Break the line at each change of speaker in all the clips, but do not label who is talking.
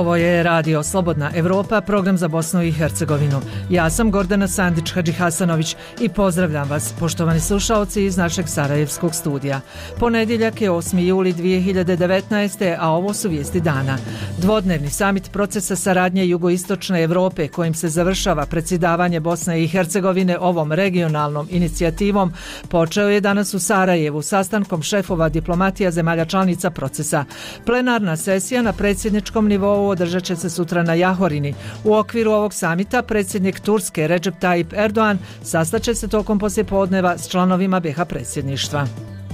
Ovo je Radio Slobodna Evropa, program za Bosnu i Hercegovinu. Ja sam Gordana Sandić-Hadžihasanović i pozdravljam vas, poštovani slušaoci iz našeg sarajevskog studija. Ponedjeljak je 8. juli 2019. a ovo su vijesti dana. Dvodnevni samit procesa saradnje jugoistočne Evrope kojim se završava predsjedavanje Bosne i Hercegovine ovom regionalnom inicijativom počeo je danas u Sarajevu sastankom šefova diplomatija zemalja članica procesa. Plenarna sesija na predsjedničkom nivou održat će se sutra na Jahorini. U okviru ovog samita predsjednik Turske Recep Tayyip Erdogan sastaće se tokom poslijepodneva s članovima BiH predsjedništva.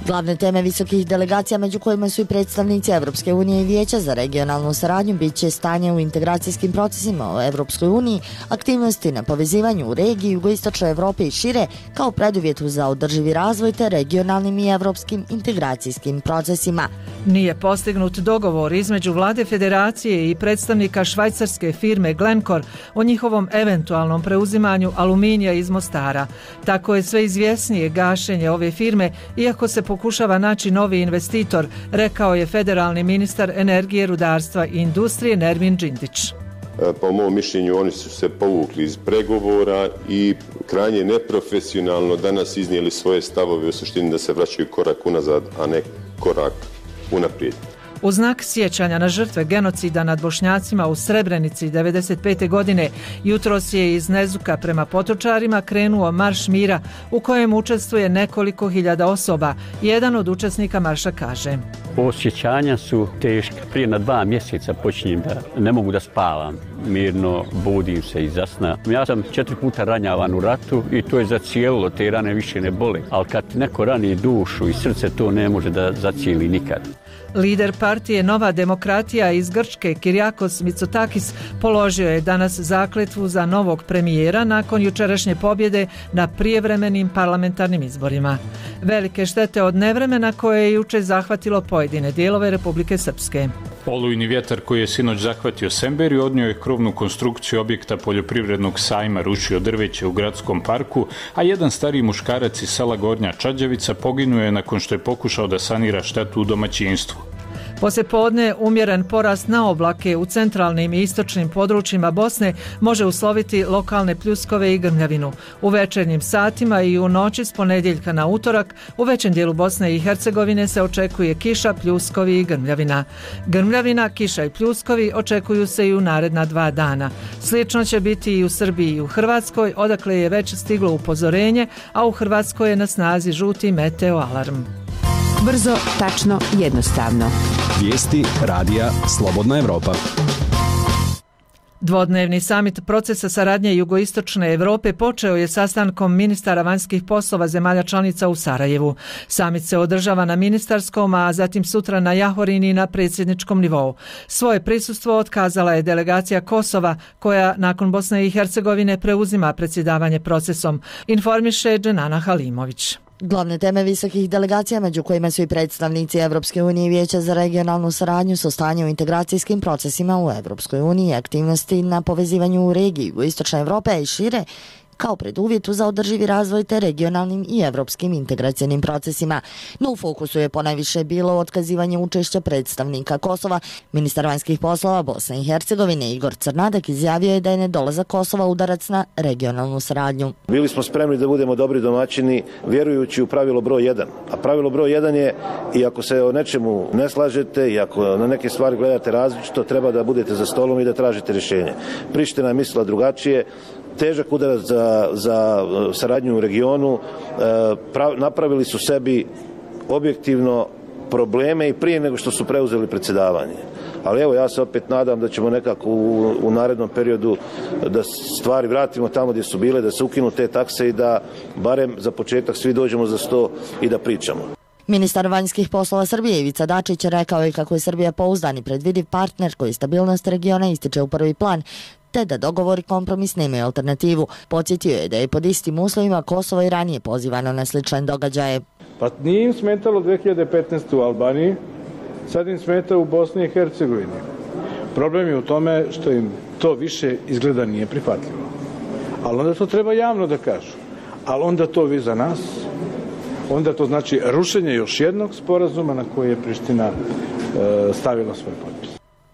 Glavne teme visokih delegacija, među kojima su i predstavnici Evropske unije i Vijeća za regionalnu saradnju, bit će stanje u integracijskim procesima u Evropskoj uniji, aktivnosti na povezivanju u regiji jugoistočne Evrope i šire kao preduvjetu za održivi razvoj te regionalnim i evropskim integracijskim procesima.
Nije postignut dogovor između vlade federacije i predstavnika švajcarske firme Glencore o njihovom eventualnom preuzimanju aluminija iz Mostara. Tako je sve izvjesnije gašenje ove firme, iako se pokušava naći novi investitor, rekao je federalni ministar energije, rudarstva i industrije Nermin Džindić.
Po mom mišljenju oni su se povukli iz pregovora i krajnje neprofesionalno danas iznijeli svoje stavove, u suštini da se vraćaju korak unazad, a ne korak unaprijed.
U znak sjećanja na žrtve genocida nad Bošnjacima u Srebrenici 1995. godine jutros je iz Nezuka prema Potočarima krenuo marš mira u kojem učestvuje nekoliko hiljada osoba. Jedan od učesnika marša kaže:
Osjećanja su teška. Prije na 2 mjeseca počinjem da ne mogu da spavam. Mirno budim se iza sna. Ja sam 4 puta ranjavan u ratu i to je zacijelilo, te rane više ne bole. Ali kad neko rani dušu i srce, to ne može da zacijeli nikad.
Lider partije Nova demokratija iz Grčke Kyriakos Mitsotakis položio je danas zakletvu za novog premijera nakon jučerašnje pobjede na prijevremenim parlamentarnim izborima. Velike štete od nevremena koje je jučer zahvatilo pojedine dijelove Republike Srpske.
Olujni vjetar koji je sinoć zahvatio Semberiju odnio je krovnu konstrukciju objekta poljoprivrednog sajma, rušio drveće u gradskom parku, a jedan stariji muškarac iz sela Gornja Čađavica poginuo je nakon što je pokušao da sanira štetu u domaćinstvu.
Poslijepodne umjeren porast na oblake u centralnim i istočnim područjima Bosne može usloviti lokalne pljuskove i grmljavinu. U večernjim satima i u noći s ponedjeljka na utorak u većem dijelu Bosne i Hercegovine se očekuje kiša, pljuskovi i grmljavina. Grmljavina, kiša i pljuskovi očekuju se i u naredna 2 dana. Slično će biti i u Srbiji i u Hrvatskoj, odakle je već stiglo upozorenje, a u Hrvatskoj je na snazi žuti meteo alarm.
Brzo, tačno, jednostavno.
Vijesti Radija Slobodna Evropa.
Dvodnevni samit procesa saradnje jugoistočne Evrope počeo je sastankom ministara vanjskih poslova zemalja članica u Sarajevu. Samit se održava na ministarskom, a zatim sutra na Jahorini na predsjedničkom nivou. Svoje prisustvo otkazala je delegacija Kosova, koja nakon Bosne i Hercegovine preuzima predsjedavanje procesom, informiše Dženana Halimović.
Glavne teme visokih delegacija, među kojima su i predstavnici Evropske unije i Vijeća za regionalnu saradnju, su stanje u integracijskim procesima u Evropskoj uniji, aktivnosti na povezivanju u regiji jugoistočne Evrope i šire, kao preduvjetu za održivi razvoj te regionalnim i evropskim integracijnim procesima. No u fokusu je ponajviše bilo otkazivanje učešća predstavnika Kosova. Ministar vanjskih poslova Bosne i Hercegovine Igor Crnadak izjavio je da je nedolazak Kosova udarac na regionalnu saradnju.
Bili smo spremni da budemo dobri domaćini vjerujući u pravilo broj 1. A pravilo broj 1 je, i ako se o nečemu ne slažete i ako na neke stvari gledate različito, treba da budete za stolom i da tražite rješenje. Priština je mislila drugačije. Težak udarac za saradnju u regionu, napravili su sebi objektivno probleme i prije nego što su preuzeli predsjedavanje. Ali evo, ja se opet nadam da ćemo nekako u narednom periodu da stvari vratimo tamo gdje su bile, da se ukinu te takse i da barem za početak svi dođemo za sto i da pričamo.
Ministar vanjskih poslova Srbije Ivica Dačić rekao je kako je Srbija pouzdan i predvidiv partner koji stabilnost regiona ističe u prvi plan, te da dogovor i kompromis nemaju alternativu. Podsjetio je da je pod istim uslovima Kosovo i ranije pozivano na slične događaje.
Pa nije im smetalo 2015. u Albaniji, sad im smeta u Bosni i Hercegovini. Problem je u tome što im to više izgleda nije prihvatljivo. Ali onda to treba javno da kažu. Ali onda to vi za nas, onda to znači rušenje još jednog sporazuma na koji je Priština stavila svoj potpis.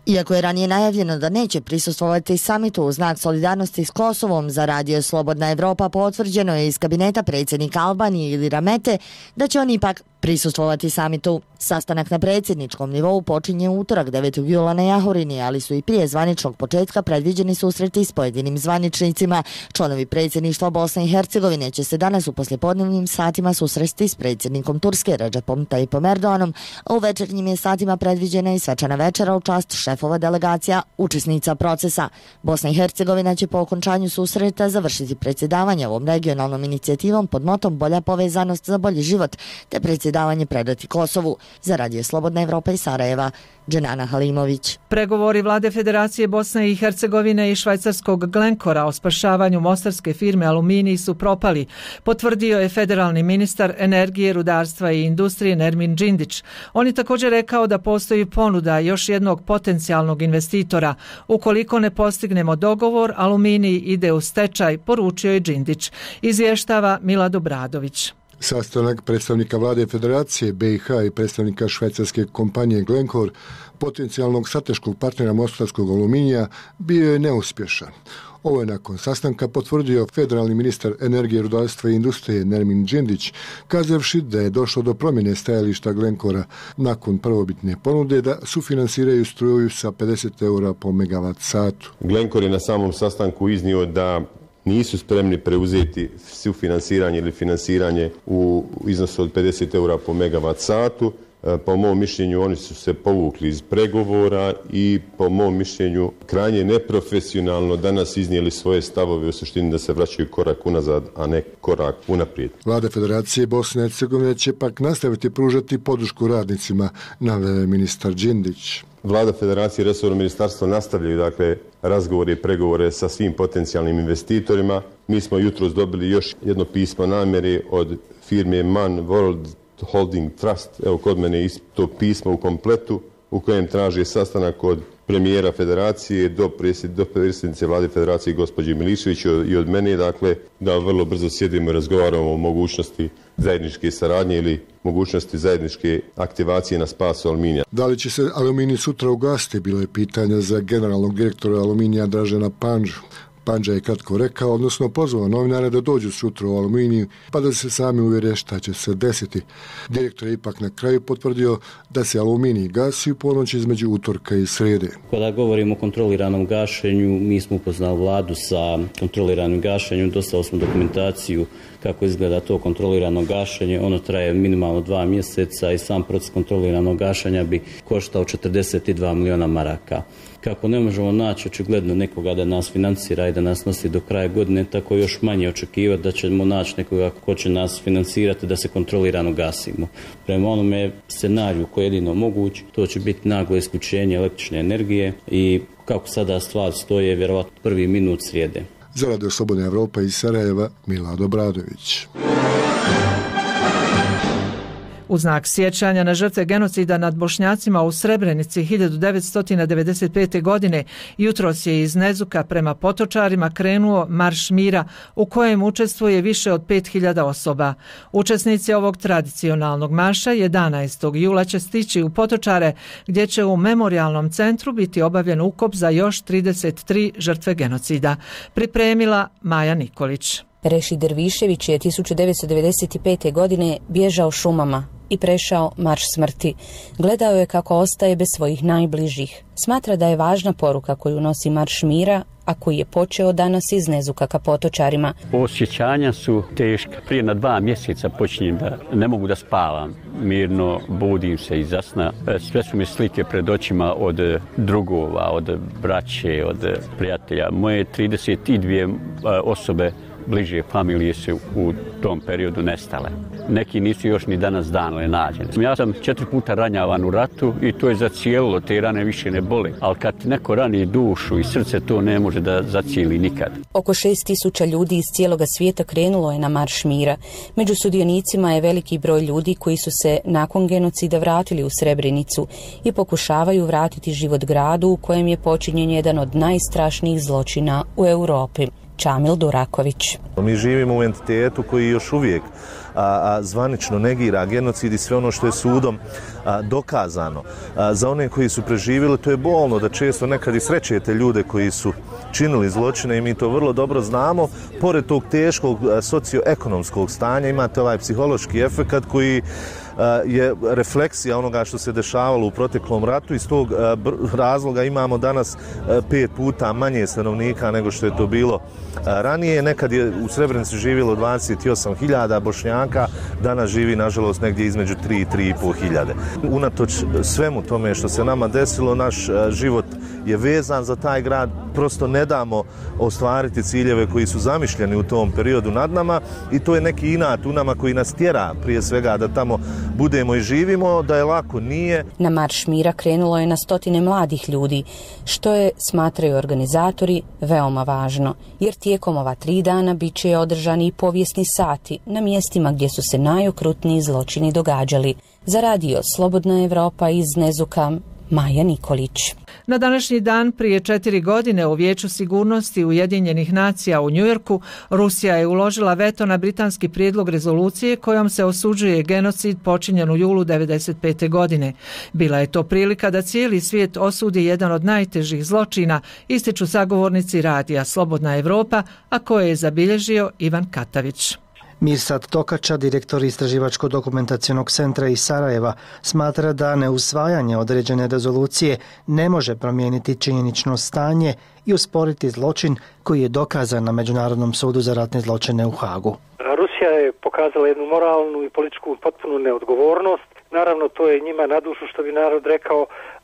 Iako je ranije najavljeno da neće prisustvovati samitu u znak solidarnosti s Kosovom, za Radio Slobodna Evropa potvrđeno je iz kabineta predsjednika Albanije Ilira Mete da će on ipak prisustvovati samitu. Sastanak na predsjedničkom nivou počinje u utorak 9. jula na Jahorini, ali su i prije zvaničnog početka predviđeni susreti s pojedinim zvaničnicima. Članovi predsjedništva Bosne i Hercegovine će se danas u poslijepodnevnim satima susresti s predsjednikom Turske Recepom Tayyipom Erdoganom, a u večernjim je satima predviđena i svečana večera u čast šefova delegacija učesnica procesa. Bosna i Hercegovina će po okončanju susreta završiti predsjedavanje ovom regionalnom inicijativom pod motom Bolja povezanost za bolji život, te predsjedavanje predati Kosovu. Za Radio Slobodna Evropa iz Sarajeva, Dženana Halimović.
Pregovori vlade Federacije Bosne i Hercegovine i švajcarskog Glencora o spašavanju mostarske firme Aluminij su propali, potvrdio je federalni ministar energije, rudarstva i industrije Nermin Džindić. On je također rekao da postoji ponuda još jednog potencijalnog investitora. Ukoliko ne postignemo dogovor, Aluminij ide u stečaj, poručio je Džindić. Izvještava Milad Obradović.
Sastanak predstavnika vlade Federacije BiH i predstavnika švajcarske kompanije Glencore, potencijalnog strateškog partnera mostarskog aluminija, bio je neuspješan. Ovo je nakon sastanka potvrdio federalni ministar energije, rudarstva i industrije Nermin Džindić, kazavši da je došlo do promjene stajališta Glencora nakon prvobitne ponude da sufinansiraju struju sa 50 eura po megavat satu.
Glencore je na samom sastanku iznio da nisu spremni preuzeti sufinansiranje ili finansiranje u iznosu od 50 eura po megavat satu. Po mom mišljenju oni su se povukli iz pregovora i po mom mišljenju krajnje neprofesionalno danas iznijeli svoje stavove, u suštini da se vraćaju korak unazad, a ne korak unaprijed.
Vlada Federacije Bosne i Hercegovine će pak nastaviti pružati podršku radnicima, naveo ministar Džindić.
Vlada Federacije i resorno ministarstvo nastavljaju razgovore i pregovore sa svim potencijalnim investitorima. Mi smo jutros dobili još jedno pismo namjere od firme Man World Holding Trust, evo kod mene je to pismo u kompletu u kojem traži sastanak od premijera Federacije do predsjednice Vlade Federacije gospođe Milišević i od mene, da vrlo brzo sjedimo i razgovaramo o mogućnosti zajedničke saradnje ili mogućnosti zajedničke aktivacije na spasu Aluminija.
Da li će se Aluminij sutra ugasiti, bilo je pitanje za generalnog direktora Aluminija Dražena Pandžu. Pandža je kratko rekao, odnosno pozvao novinare da dođu sutra u Aluminiju pa da se sami uvjere šta će se desiti. Direktor je ipak na kraju potvrdio da se Aluminij gasi u ponoć između utorka i srijede.
Kada govorimo o kontroliranom gašenju, mi smo upoznali vladu sa kontroliranim gašenjem, dostavili smo dokumentaciju kako izgleda to kontrolirano gašenje. Ono traje minimalno 2 mjeseca i sam proces kontroliranog gašenja bi koštao 42 miliona maraka. Kako ne možemo naći očigledno nekoga da nas financira i da nas nosi do kraja godine, tako još manje očekivati da ćemo naći nekoga ko će nas financirati da se kontrolirano gasimo. Prema onome scenariju koji je jedino moguć, to će biti naglo isključenje električne energije i kako sada stvar stoje, vjerovatno prvi minut srijede.
Za Radio Slobodna Evropa iz Sarajeva, Milad Obradović.
U znak sjećanja na žrtve genocida nad Bošnjacima u Srebrenici 1995. godine jutros je iz Nezuka prema Potočarima krenuo Marš mira u kojem učestvuje više od 5000 osoba. Učesnici ovog tradicionalnog marša 11. jula će stići u Potočare gdje će u memorijalnom centru biti obavljen ukop za još 33 žrtve genocida. Pripremila Maja Nikolić.
Reši Dervišević je 1995. godine bježao šumama i prešao marš smrti. Gledao je kako ostaje bez svojih najbližih. Smatra da je važna poruka koju nosi Marš mira, a koji je počeo danas iz Nezuka ka Potočarima.
Osjećanja su teška. Prije na 2 mjeseca počinjem da ne mogu da spavam. Mirno budim se iza sna. Sve su mi slike pred očima od drugova, od braće, od prijatelja. Moje 32 osobe bliže familije su u tom periodu nestale. Neki nisu još ni danas dano nađeni. Ja sam 4 puta ranjavan u ratu i to je zacijelilo, te rane više ne boli. Ali kad neko rani dušu i srce, to ne može da zacijeli nikad.
Oko 6000 ljudi iz cijeloga svijeta krenulo je na Marš mira. Među sudionicima je veliki broj ljudi koji su se nakon genocida vratili u Srebrenicu i pokušavaju vratiti život gradu u kojem je počinjen jedan od najstrašnijih zločina u Europi. Čamil Duraković.
Mi živimo u entitetu koji još uvijek zvanično negira genocid i sve ono što je sudom dokazano. Za one koji su preživjeli, to je bolno da često nekad i srećete ljude koji su činili zločine i mi to vrlo dobro znamo. Pored tog teškog socioekonomskog stanja imate ovaj psihološki efekat koji je refleksija onoga što se dešavalo u proteklom ratu. Iz tog razloga imamo danas 5 puta manje stanovnika nego što je to bilo ranije. Nekad je u Srebrenici živjelo 28.000 Bošnjaka, danas živi nažalost negdje između 3 i 3,5 hiljade. Unatoč svemu tome što se nama desilo, naš život je vezan za taj grad, prosto ne damo ostvariti ciljeve koji su zamišljeni u tom periodu nad nama i to je neki inat u nama koji nas tjera prije svega da tamo budemo i živimo, da je lako nije.
Na Marš mira krenulo je na stotine mladih ljudi, što je, smatraju organizatori, veoma važno, jer tijekom ova 3 dana bit će održani i povijesni sati na mjestima gdje su se najokrutniji zločini događali. Za radio Slobodna Evropa iz Nezuka, Maja Nikolić.
Na današnji dan prije 4 godine u Vijeću sigurnosti Ujedinjenih nacija u Njujorku Rusija je uložila veto na britanski prijedlog rezolucije kojom se osuđuje genocid počinjen u julu 1995. godine. Bila je to prilika da cijeli svijet osudi jedan od najtežih zločina, ističu sagovornici radija Slobodna Evropa, a koje je zabilježio Ivan Katavić.
Mirsad Tokača, direktor Istraživačko-dokumentacionog centra iz Sarajeva, smatra da neusvajanje određene rezolucije ne može promijeniti činjenično stanje i usporiti zločin koji je dokazan na Međunarodnom sudu za ratne zločine u Hagu.
Rusija je pokazala jednu moralnu i političku potpunu neodgovornost. Naravno, to je njima na dušu, što bi narod rekao,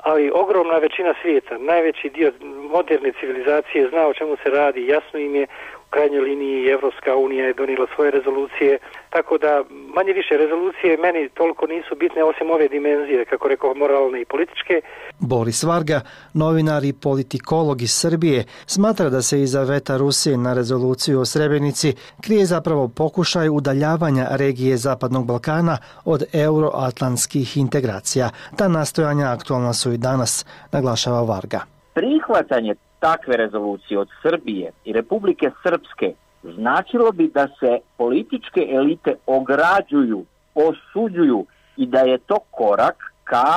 ali ogromna većina svijeta, najveći dio moderne civilizacije zna o čemu se radi, jasno im je. U krajnjoj liniji Evropska unija je donijela svoje rezolucije, tako da manje više rezolucije meni toliko nisu bitne osim ove dimenzije, kako rekao, moralne i političke.
Boris Varga, novinar i politikolog iz Srbije, smatra da se iza veta Rusije na rezoluciju o Srebrenici krije zapravo pokušaj udaljavanja regije Zapadnog Balkana od euroatlantskih integracija. Ta nastojanja aktualna su i danas, naglašava Varga.
Prihvatanje takve rezolucije od Srbije i Republike Srpske značilo bi da se političke elite ograđuju, osuđuju i da je to korak ka,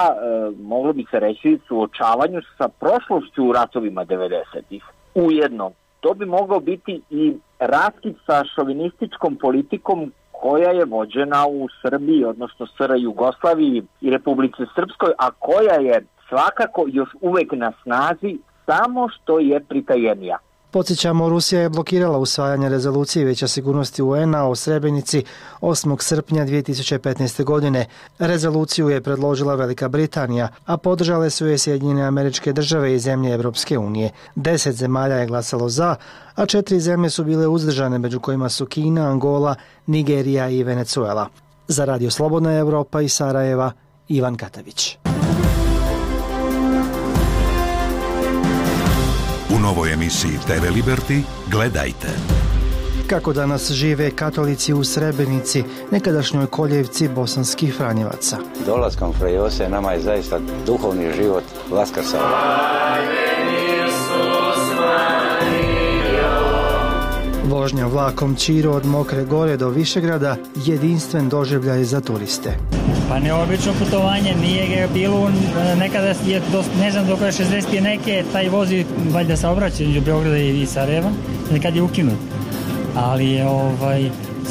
moglo bi se reći, suočavanju sa prošlošću u ratovima 90-ih. Ujedno, to bi moglo biti i raskid sa šovinističkom politikom koja je vođena u Srbiji, odnosno SR Jugoslaviji i Republici Srpskoj, a koja je svakako još uvek na snazi, samo što je pritajenija.
Podsjećamo, Rusija je blokirala usvajanje rezolucije Vijeća sigurnosti UN-a o Srebrenici 8. srpnja 2015. godine. Rezoluciju je predložila Velika Britanija, a podržale su je Sjedinjene Američke Države i zemlje Evropske unije. 10 zemalja je glasalo za, a 4 zemlje su bile uzdržane, među kojima su Kina, Angola, Nigerija i Venezuela. Za radio Slobodna Evropa iz Sarajeva, Ivan Katavić.
U novoj emisiji TV Liberty gledajte.
Kako danas žive katolici u Srebrenici, nekadašnjoj koljevci bosanskih Franjevaca.
Dolaskom Fra Jose nama je zaista duhovni život vaskrsao.
Vožnja vlakom Čiro od Mokre Gore do Višegrada jedinstven doživljaj za turiste.
Pa neobično putovanje, nije ga bilo, nekada je, ne znam dok je 60 neke, taj vozi valjda saobraća između Beograda i Sarajeva, nekad je ukinut, ali je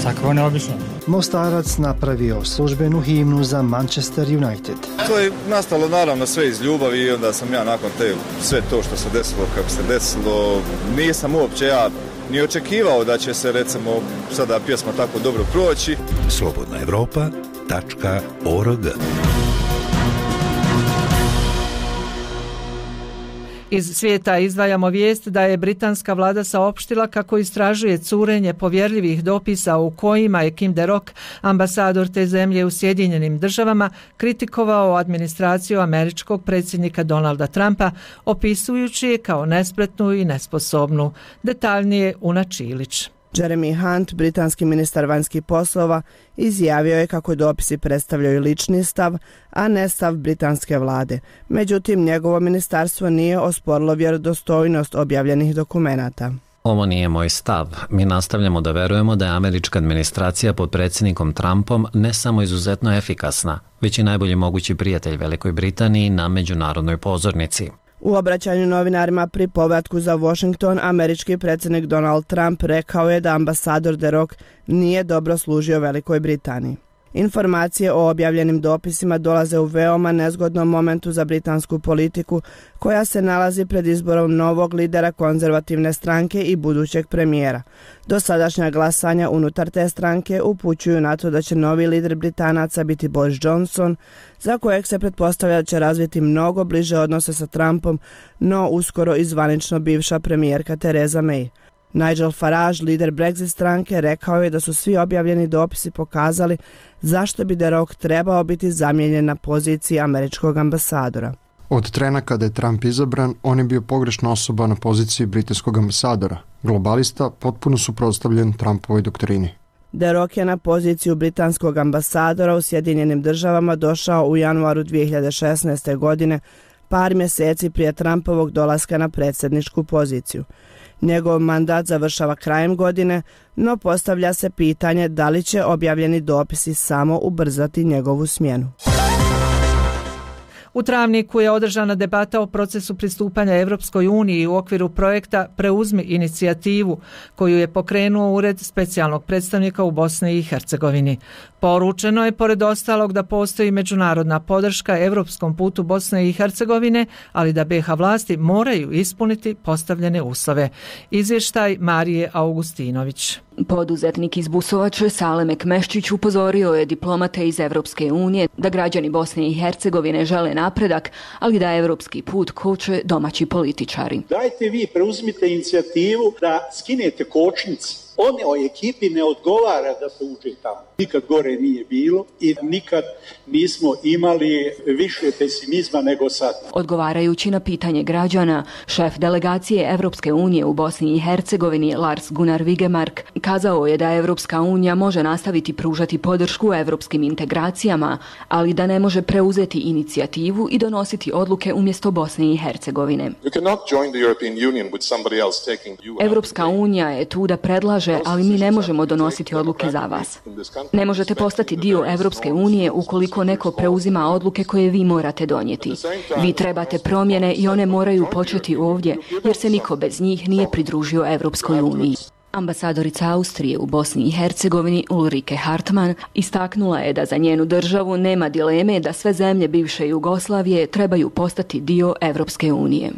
svakako neobično.
Mostarac napravio službenu himnu za Manchester United.
To je nastalo naravno sve iz ljubavi i onda sam ja nakon te sve to što se desilo kako se desilo, nisam uopće ja ni očekivao da će se recimo sada pjesma tako dobro proći.
slobodnaevropa.org.
Iz svijeta izdvajamo vijest da je britanska vlada saopštila kako istražuje curenje povjerljivih dopisa u kojima je Kim de Rock, ambasador te zemlje u Sjedinjenim Državama, kritikovao administraciju američkog predsjednika Donalda Trumpa, opisujući je kao nespretnu i nesposobnu. Detaljnije Una Čilić.
Jeremy Hunt, britanski ministar vanjskih poslova, izjavio je kako dopisi predstavljaju lični stav, a ne stav britanske vlade. Međutim, njegovo ministarstvo nije osporilo vjerodostojnost objavljenih dokumenata.
Ovo nije moj stav. Mi nastavljamo da verujemo da je američka administracija pod predsjednikom Trumpom ne samo izuzetno efikasna, već i najbolji mogući prijatelj Velikoj Britaniji na međunarodnoj pozornici.
U obraćanju novinarima pri povratku za Washington, američki predsjednik Donald Trump rekao je da ambasador De Rock nije dobro služio Velikoj Britaniji. Informacije o objavljenim dopisima dolaze u veoma nezgodnom momentu za britansku politiku, koja se nalazi pred izborom novog lidera konzervativne stranke i budućeg premijera. Dosadašnja glasanja unutar te stranke upućuju na to da će novi lider Britanaca biti Boris Johnson, za kojeg se pretpostavlja da će razviti mnogo bliže odnose sa Trumpom, no uskoro i zvanično bivša premijerka Theresa May. Nigel Farage, lider Brexit stranke, rekao je da su svi objavljeni dopisi pokazali zašto bi De Rock trebao biti zamijenjen na poziciji američkog ambasadora.
Od trena kada je Trump izabran, on je bio pogrešna osoba na poziciji britanskog ambasadora. Globalista, potpuno suprotstavljen Trumpovoj doktrini.
De Rock je na poziciju britanskog ambasadora u Sjedinjenim Državama došao u januaru 2016. godine, par mjeseci prije Trumpovog dolaska na predsjedničku poziciju. Njegov mandat završava krajem godine, no postavlja se pitanje da li će objavljeni dopisi samo ubrzati njegovu smjenu.
U travniku je održana debata o procesu pristupanja Evropskoj uniji u okviru projekta Preuzmi inicijativu, koju je pokrenuo Ured specijalnog predstavnika u Bosni i Hercegovini. Poručeno je, pored ostalog, da postoji međunarodna podrška evropskom putu Bosne i Hercegovine, ali da BiH vlasti moraju ispuniti postavljene uslove. Izvještaj Marije Augustinović.
Poduzetnik iz Busovače Salem Ekmeščić upozorio je diplomate iz Evropske unije da građani Bosne i Hercegovine žele napredak, ali da evropski put koče domaći političari.
Dajte vi, preuzmite inicijativu da skinete kočnice. One ekipi ne odgovara da se uđe tamo. Nikad gore nije bilo i nikad nismo imali više pesimizma nego sad.
Odgovarajući na pitanje građana, šef delegacije Evropske unije u Bosni i Hercegovini Lars Gunnar Vigemark kazao je da Evropska unija može nastaviti pružati podršku evropskim integracijama, ali da ne može preuzeti inicijativu i donositi odluke umjesto Bosne i Hercegovine. Evropska unija je tu da predlaže, ali mi ne možemo donositi odluke za vas. Ne možete postati dio Evropske unije ukoliko neko preuzima odluke koje vi morate donijeti. Vi trebate promjene i one moraju početi ovdje, jer se niko bez njih nije pridružio Evropskoj uniji. Ambasadorica Austrije u Bosni i Hercegovini Ulrike Hartmann istaknula je da za njenu državu nema dileme da sve zemlje bivše Jugoslavije trebaju postati dio Evropske unije.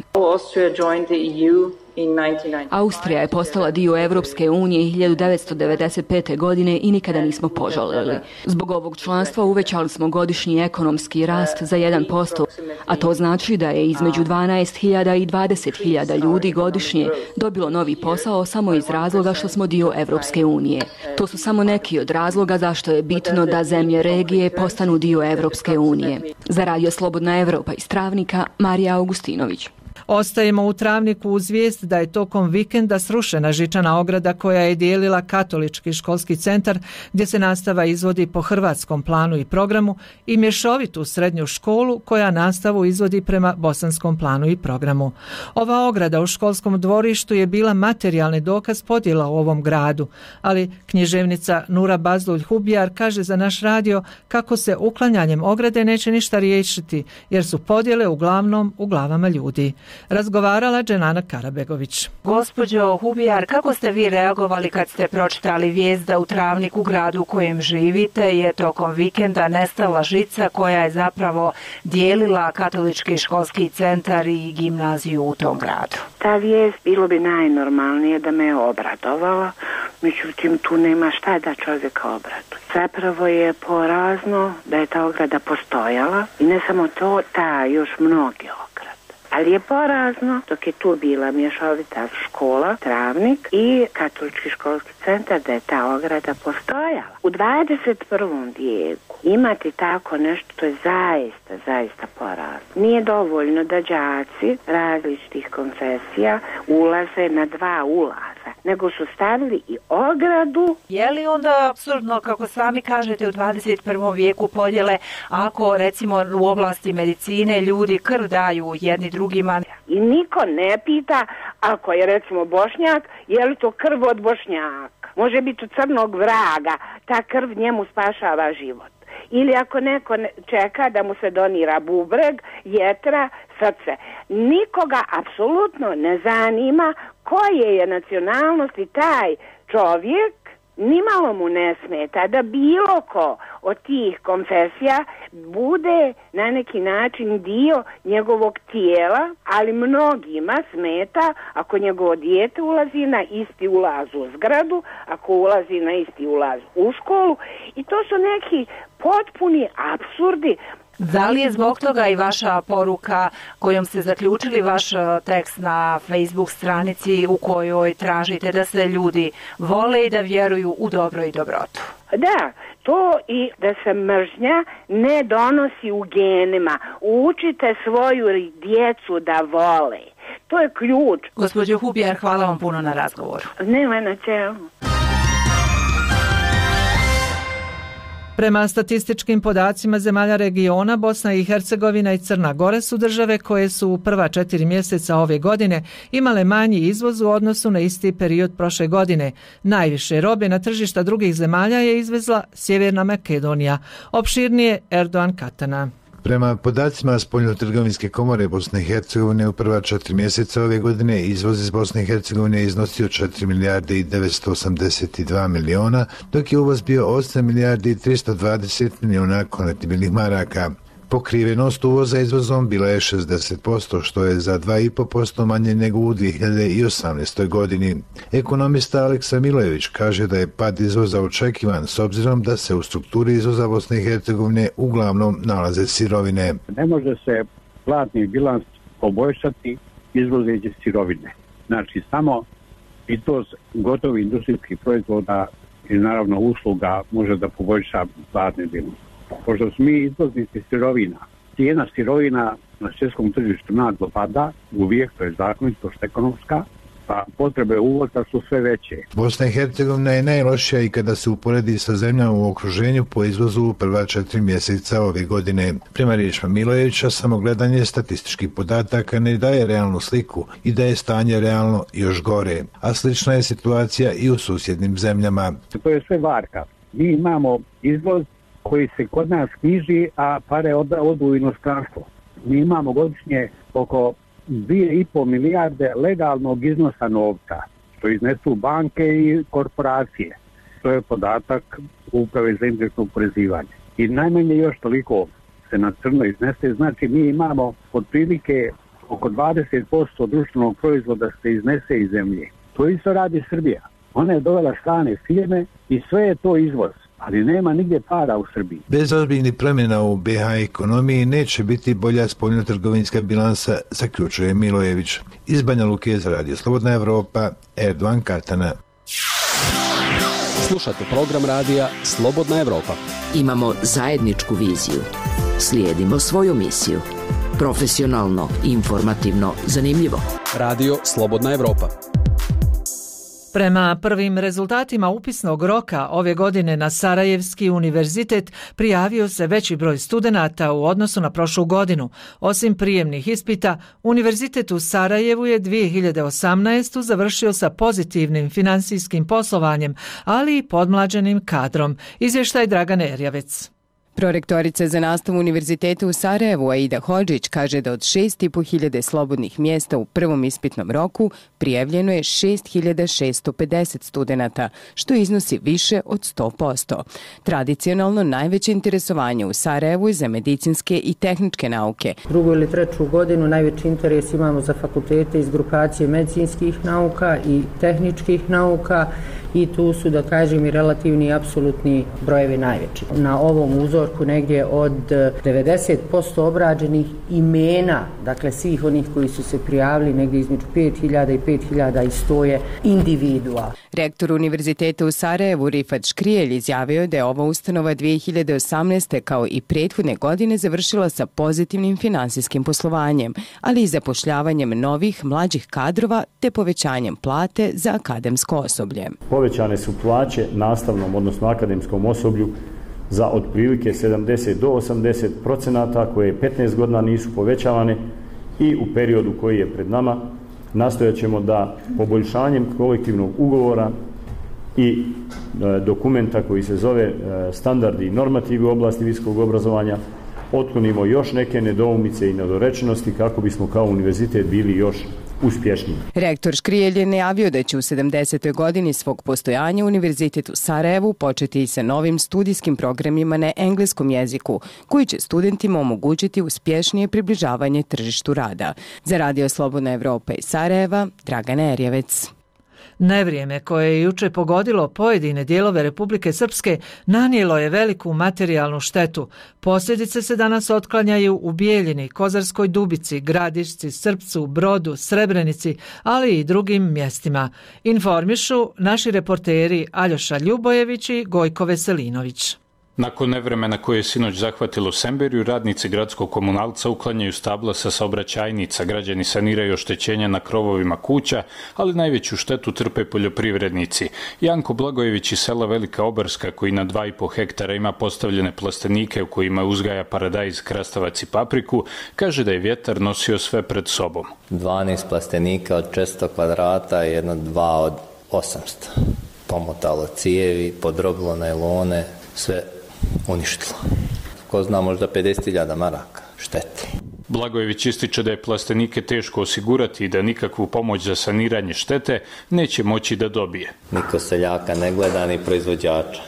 Austrija je postala dio Evropske unije 1995. godine i nikada nismo požalili. Zbog ovog članstva uvećali smo godišnji ekonomski rast za 1%, a to znači da je između 12.000 i 20.000 ljudi godišnje dobilo novi posao samo iz razloga što smo dio Evropske unije. To su samo neki od razloga zašto je bitno da zemlje regije postanu dio Evropske unije. Za Radio Slobodna Evropa iz Travnika, Marija Augustinović.
Ostajemo u Travniku uz vijest da je tokom vikenda srušena žičana ograda koja je dijelila katolički školski centar gdje se nastava izvodi po hrvatskom planu i programu i mješovitu srednju školu koja nastavu izvodi prema bosanskom planu i programu. Ova ograda u školskom dvorištu je bila materijalni dokaz podjela u ovom gradu, ali književnica Nura Bazlulj-Hubijar kaže za naš radio kako se uklanjanjem ograde neće ništa riješiti jer su podjele uglavnom u glavama ljudi. Razgovarala Dženana Karabegović.
Gospođo Hubijar, kako ste vi reagovali kad ste pročitali vijest da u Travniku, gradu u kojem živite, je tokom vikenda nestala žica koja je zapravo dijelila katolički školski centar i gimnaziju u tom gradu?
Ta vijest bilo bi najnormalnije da me je obradovala, međutim tu nema šta da čovjeka obraduje. Zapravo je porazno da je ta ograda postojala i ne samo to, ta još mnoge ograde. Ali je porazno dok je tu bila mješovita škola, Travnik i katolički školski centar da je ta ograda postojala. U 21. vijeku imati tako nešto, to je zaista porazno. Nije dovoljno da đaci različitih konfesija ulaze na 2 ulaza, nego su stavili i ogradu.
Je li onda apsurdno, kako sami kažete, u 21. vijeku podjele ako recimo u oblasti medicine ljudi krv daju jedni drugima?
I niko ne pita, Ako je recimo Bošnjak, je li to krv od Bošnjaka? Može biti od crnog vraga, ta krv njemu spašava život. Ili ako neko čeka da mu se donira bubreg, jetra, srce. Nikoga apsolutno ne zanima koje je nacionalnosti taj čovjek, nimalo mu ne smeta da bilo ko od tih konfesija bude na neki način dio njegovog tijela, ali mnogima smeta ako njegovo dijete ulazi na isti ulaz u zgradu, ako ulazi na isti ulaz u školu, i to su neki potpuni apsurdi.
Da li je zbog toga i vaša poruka kojom ste zaključili vaš tekst na Facebook stranici u kojoj tražite da se ljudi vole i da vjeruju u dobro i dobrotu?
Da, to i da se mržnja ne donosi u genima. Učite svoju djecu da vole. To je ključ.
Gospođo Hubijar, hvala vam puno na razgovoru.
Nema na čemu.
Prema statističkim podacima zemalja regiona, Bosna i Hercegovina i Crna Gora su države koje su u prva 4 mjeseca ove godine imale manji izvoz u odnosu na isti period prošle godine. Najviše robe na tržišta drugih zemalja je izvezla Sjeverna Makedonija. Opširnije Erdogan Katana.
Prema podacima Spoljnotrgovinske komore Bosne i Hercegovine u prva 4 mjeseca ove godine izvoz iz Bosne i Hercegovine je iznosio 4 milijarde i 982 miliona, dok je uvoz bio 8 milijardi i 320 miliona konvertibilnih maraka. Pokrivenost uvoza izvozom bila je 60%, što je za 2,5% manje nego u 2018. godini. Ekonomista Aleksa Milojević kaže da je pad izvoza očekivan s obzirom da se u strukturi izvoza Bosne i Hercegovine uglavnom nalaze sirovine.
Ne može se platni bilans poboljšati izvozeći sirovine. Znači samo i to gotovi industrijski proizvoda i naravno usluga može da poboljša platni bilans. Pošto smo mi izvoznici sirovina, cijena sirovina na svjetskom tržištu naglo pada, uvijek to je zakonitost ekonomska, pa potrebe uvoza su sve veće.
Bosna i Hercegovina je najlošija i kada se uporedi sa zemljama u okruženju po izvozu u prva 4 mjeseca ove godine. Prema riječima Milojevića, samo gledanje statističkih podataka ne daje realnu sliku i da je stanje realno još gore, a slična je situacija i u susjednim zemljama.
To je sve varka. Mi imamo izvoz koji se kod nas knjiži, a pare odu u inostranstvo. Mi imamo godišnje oko 2,5 milijarde legalnog iznosa novca, što iznesu banke i korporacije. To je podatak Uprave za indirektno oporezivanje. I najmanje još toliko se na crno iznese, znači mi imamo otprilike oko 20% društvenog proizvoda se iznese iz zemlje. To isto radi Srbija. Ona je dovela strane firme i sve je to izvoz, ali nema nigdje para u Srbiji.
Bez ozbiljnih promjena u BiH ekonomiji neće biti bolja spoljnotrgovinska bilansa, zaključuje Milojević. Iz Banja Luke za Radio Slobodna Evropa, Erdogan Katana.
Slušate program radija Slobodna Evropa.
Imamo zajedničku viziju. Slijedimo svoju misiju. Profesionalno, informativno, zanimljivo.
Radio Slobodna Evropa.
Prema prvim rezultatima upisnog roka ove godine na Sarajevski univerzitet prijavio se veći broj studenata u odnosu na prošlu godinu. Osim prijemnih ispita, univerzitet u Sarajevu je 2018. završio sa pozitivnim finansijskim poslovanjem, ali i podmlađenim kadrom. Izvještaj Dragane Erjavec.
Prorektorica za nastavu univerziteta u Sarajevu Aida Hodžić kaže da od 6.500 slobodnih mjesta u prvom ispitnom roku prijavljeno je 6.650 studenata, što iznosi više od 100%. Tradicionalno najveće interesovanje u Sarajevu je za medicinske i tehničke nauke.
Drugu ili treću godinu najveći interes imamo za fakultete iz grupacije medicinskih nauka i tehničkih nauka i tu su, da kažem, i relativni i apsolutni brojevi najveći. Na ovom uzorku negdje od 90% obrađenih imena, dakle svih onih koji su se prijavili, negdje između 5.000 i 5.100 je individua.
Rektor univerziteta u Sarajevu Rifat Škrijelj izjavio je da je ova ustanova 2018. kao i prethodne godine završila sa pozitivnim finansijskim poslovanjem, ali i zapošljavanjem novih mlađih kadrova te povećanjem plate za akademsko osoblje.
Povećane su plaće nastavnom, odnosno akademskom osoblju za otprilike 70 do 80%, koje 15 godina nisu povećavane i u periodu koji je pred nama nastojat ćemo da poboljšanjem kolektivnog ugovora i dokumenta koji se zove standardi i normativi u oblasti visokog obrazovanja otklonimo još neke nedoumice i nedorečenosti kako bismo kao univerzitet bili još uspješniji.
Rektor Škrijelj je najavio da će u 70. godini svog postojanja Univerzitet u Sarajevu početi i sa novim studijskim programima na engleskom jeziku, koji će studentima omogućiti uspješnije približavanje tržištu rada. Za Radio Slobodna Evropa iz Sarajeva, Dragana Erjevec.
Nevrijeme koje je juče pogodilo pojedine dijelove Republike Srpske nanijelo je veliku materijalnu štetu. Posljedice se danas otklanjaju u Bijeljini, Kozarskoj Dubici, Gradišci, Srpcu, Brodu, Srebrenici, ali i drugim mjestima. Informišu naši reporteri Aljoša Ljubojević i Gojko Veselinović.
Nakon nevremena koje je sinoć zahvatilo Semberiju, radnici gradskog komunalca uklanjaju stabla sa saobraćajnica, građani saniraju oštećenja na krovovima kuća, ali najveću štetu trpe poljoprivrednici. Janko Blagojević iz sela Velika Obarska, koji na 2,5 hektara ima postavljene plastenike u kojima uzgaja paradajz, krastavac i papriku, kaže da je vjetar nosio sve pred sobom.
12 plastenika od 400 kvadrata i 2 od 800. Pomotalo cijevi, podrobilo najlone, sve uništilo. Ko zna, možda 50.000 maraka šteti.
Blagojević ističe da je plastenike teško osigurati i da nikakvu pomoć za saniranje štete neće moći da dobije.
Niko seljaka ne gleda ni proizvođača.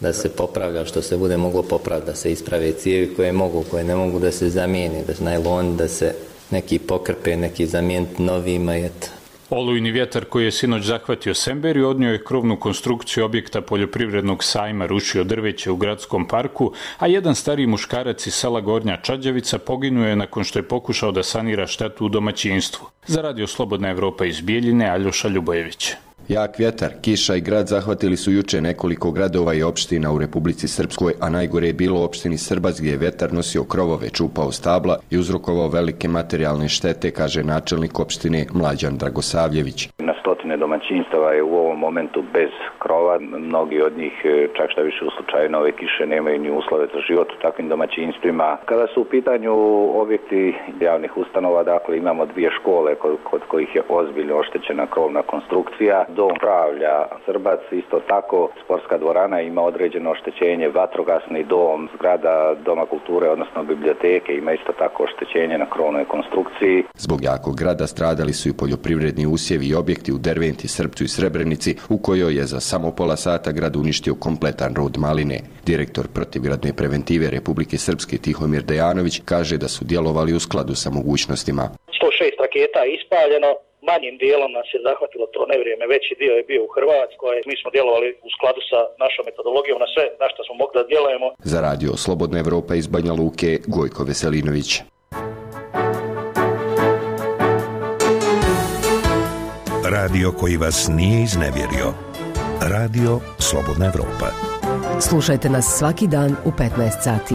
Da se popravlja što se bude moglo popraviti, da se isprave cijevi koje ne mogu da se zamijeni, da se najloni, da se neki pokrpe, neki zamijeniti novima i eto.
Olujni vjetar koji je sinoć zahvatio Semberiju odnio je krovnu konstrukciju objekta poljoprivrednog sajma, rušio drveće u gradskom parku, a jedan stariji muškarac iz sela Gornja Čađavica poginuo je nakon što je pokušao da sanira štetu u domaćinstvu. Za Radio Slobodna Evropa iz Bijeljine, Aljoša Ljubojević.
Jak vjetar, kiša i grad zahvatili su juče nekoliko gradova i opština u Republici Srpskoj, a najgore je bilo u opštini Srbac gdje je vjetar nosio krovove, čupao stabla i uzrokovao velike materijalne štete, kaže načelnik opštine Mlađan Dragosavljević.
Na stotine domaćinstava je u ovom momentu bez krova, mnogi od njih čak šta više u slučaju nove kiše nemaju ni uslove za život u takvim domaćinstvima. Kada su u pitanju objekti javnih ustanova, dakle imamo 2 škole kod kojih je ozbiljno oštećena krovna konstrukcija. Dom zdravlja Srbac, isto tako sportska dvorana ima određeno oštećenje, vatrogasni dom, zgrada Doma kulture, odnosno biblioteke ima isto tako oštećenje na krovnoj konstrukciji.
Zbog jakog grada stradali su i poljoprivredni usjevi i objekti u Derventi, Srpcu i Srebrenici, u kojoj je za samo pola sata grad uništio kompletan rod maline. Direktor protivgradne preventive Republike Srpske Tihomir Dejanović kaže da su djelovali u skladu sa mogućnostima.
106 raketa je ispaljeno. Manjim dijelom nas je zahvatilo to nevrijeme, veći dio je bio u Hrvatskoj. Mi smo djelovali u skladu sa našom metodologijom na sve na što smo mogli da djelujemo.
Za Radio Slobodna Evropa iz Banja Luke, Gojko Veselinović.
Radio koji vas nije iznevjerio. Radio Slobodna Evropa.
Slušajte nas svaki dan u 15 sati.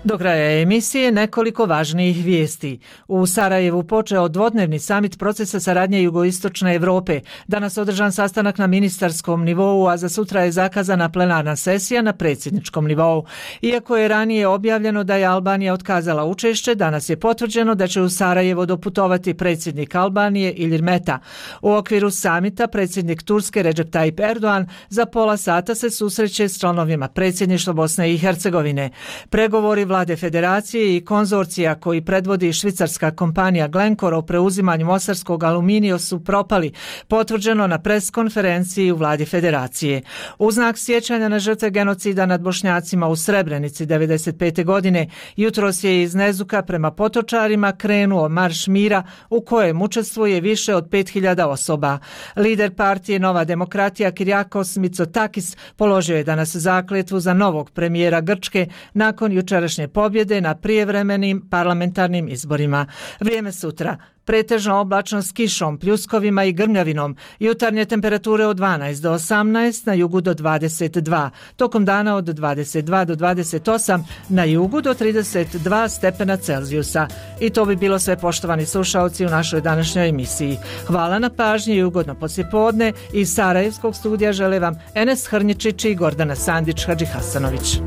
Do kraja emisije nekoliko važnijih vijesti. U Sarajevu počeo dvodnevni samit procesa saradnje Jugoistočne Evrope. Danas održan sastanak na ministarskom nivou, a za sutra je zakazana plenarna sesija na predsjedničkom nivou. Iako je ranije objavljeno da je Albanija otkazala učešće, danas je potvrđeno da će u Sarajevo doputovati predsjednik Albanije Ilir Meta. U okviru samita predsjednik Turske Recep Tayyip Erdogan za pola sata se susreće s članovima predsjedništva Bosne i Hercegovine. Pregovori vlade federacije i konzorcija koji predvodi švicarska kompanija Glencore o preuzimanju mostarskog aluminija su propali, potvrđeno na preskonferenciji u vladi federacije. U znak sjećanja na žrtve genocida nad Bošnjacima u Srebrenici 1995. godine, jutros je iz Nezuka prema Potočarima krenuo marš mira u kojem učestvuje više od 5.000 osoba. Lider partije Nova demokratija Kyriakos Mitsotakis položio je danas zakletvu za novog premijera Grčke nakon jučerašnje pobjede na prijevremenim parlamentarnim izborima. Vrijeme sutra. Pretežno oblačno s kišom, pljuskovima i grmljavinom. Jutarnje temperature od 12 do 18, na jugu do 22. Tokom dana od 22 do 28, na jugu do 32 stepena Celzijusa. I to bi bilo sve, poštovani slušaoci, u našoj današnjoj emisiji. Hvala na pažnji i ugodno poslijepodne. Iz Sarajevskog studija žele vam Enes Hrnjičić i Gordana Sandić Hadžihasanović.